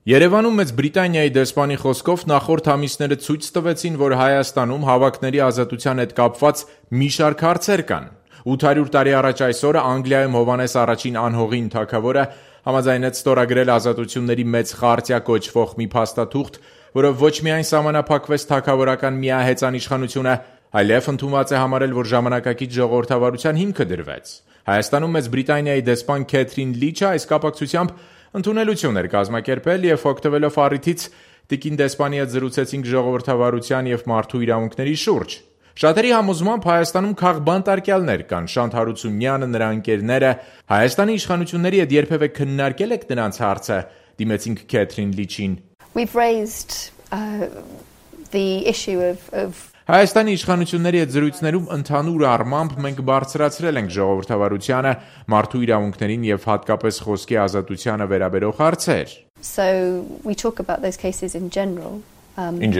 Երևանում Մեծ Բրիտանիայի դեսպանի խոսքով նախորդ ամիսները ցույց տվեցին, որ Հայաստանում հավաքների ազատության հետ կապված մի շարք հարցեր կան։ 800 տարի առաջ այսօրը Անգլիայում Հովհաննես առաջին անհողին թագավորը համաձայնեց ստորագրել ազատությունների մեծ խարտիա կոչվող մի փաստաթուղթ, որով ոչ միայն սահմանափակվեց թագավորական միահեծան իշխանությունը, այլև ընդունված է համարել, որ ժամանակակից ժողովրդավարության հիմքը դրվեց։ Հայաստանում Մեծ Բրիտանիայի դեսպան Քեթրին Լիչը այս կապակցությամբ ընդունելություն էր կազմակերպել և օգտվելով առիթից տիկին դեսպանի հետ զրուցեցինք ժողովրդավարության և մարդու իրավունքների շուրջ։ Շատերի համոզմամբ Հայաստանում քաղբանտարկյալներ կան, Շանթ Հարությունյանը, նրա ընկերները, Հայաստանի իշխանությունների հետ երբևէ քննարկել եք դրանց հարցը, դիմեցինք Քեթրին Լիչին։ We've raised the issue of Հայաստանի իշխանությունների հետ զրույցներում ընդհանուր առմամբ մենք բարձրացրել ենք ժողովրդավարությանը, մարդու իրավունքներին և հատկապես խոսքի ազատությանը վերաբերող հարցեր։ So we talk about those cases in general. In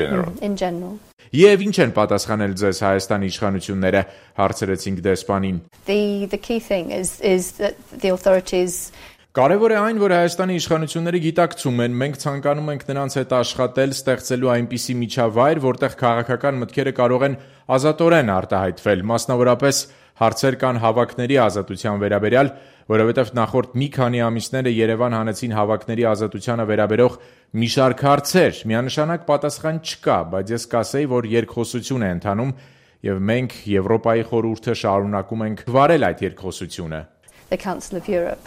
general. Եվ ինչ են պատասխանել ձեզ Հայաստանի իշխանությունները, հարցրեցինք դեսպանին։ The key thing is that the authorities Կարևոր է այն, որ Հայաստանի իշխանությունները գիտակցում են, մենք ցանկանում ենք նրանց հետ աշխատել, ստեղծելու այնպիսի միջավայր, որտեղ քաղաքական մտքերը կարող են ազատորեն արտահայտվել, մասնավորապես հարցեր կան հավաքների ազատության վերաբերյալ, որովհետև նախորդ մի քանի ամիսները Երևան հանեցին հավաքների ազատությանը վերաբերող մի շարք հարցեր, միանշանակ պատասխան չկա, բայց ես կասեի, որ երկխոսություն է ընթանում, եւ մենք Եվրոպայի խորհուրդը շարունակում ենք վարել այդ երկխոսությունը։ The Council of Europe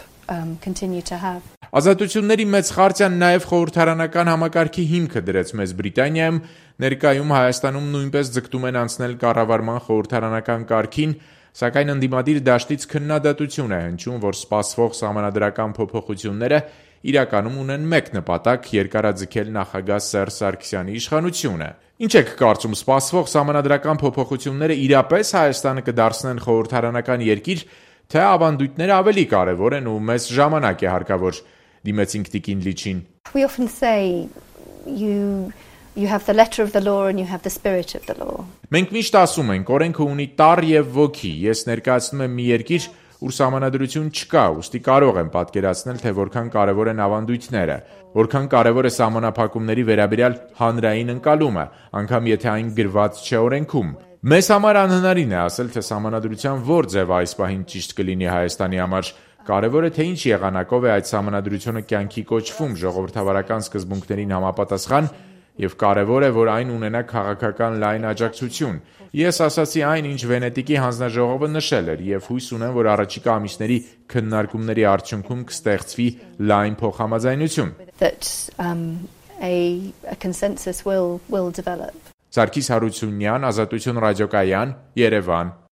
continue to have. Ազատությունների մեծ խարտիան նաև խորհրդարանական համակարգի հիմքը դրեց Մեծ Բրիտանիայում, ներկայում Հայաստանում նույնպես ձգտում են անցնել կառավարման խորհրդարանական կարգին, սակայն ընդդիմադիր դաշտից քննադատություն է հնչում, որ սպասվող սահմանադրական փոփոխությունները իրականում ունեն մեկ նպատակ՝ երկարաձգել նախագահ Սերժ Սարգսյանի իշխանությունը։ Ինչ եք կարծում, սպասվող սահմանադրական փոփոխությունները իրապես Հայաստանը կդարձնեն խորհրդարանական երկիր, թե ավանդույթները ավելի կարևոր են ու մեզ ժամանակ է հարկավոր, դիմեցինք տիկին Լիչին։ We often say you have the letter of the law and you have the spirit of the law. Մենք միշտ ասում ենք, օրենքը ունի տառ եւ ոգի։ Ես ներկայացնում եմ մի երկիր, ուր սահմանադրություն չկա, ուստի կարող եմ պատկերացնել, թե որքան կարևոր են ավանդույթները, որքան կարևոր է սահմանափակումների վերաբերյալ հանրային ընկալումը, անգամ եթե այն գրված չէ օրենքում։ Մեզ համար անհնարին է ասել, թե սահմանադրության որ ձև այս պահին ճիշտ կլինի Հայաստանի համար։ Կարևոր է, թե ինչ եղանակով է այդ սահմանադրությունը կյանքի կոչվում ժողովրդավարական սկզբունքներին համապատասխան եւ կարևոր է, որ այն ունենա քաղաքական լայն աջակցություն։ Ես ասացի այն, ինչ Վենետիկի հանձնաժողովը նշել էր եւ հույս ունեմ, որ առաջիկա ամիսների քննարկումների արդյունքում կստեղծվի լայն փոխհամաձայնություն։ That a consensus will develop. Սարգիս Հարությունյան, Ազատություն ռադիոկայան, Երևան։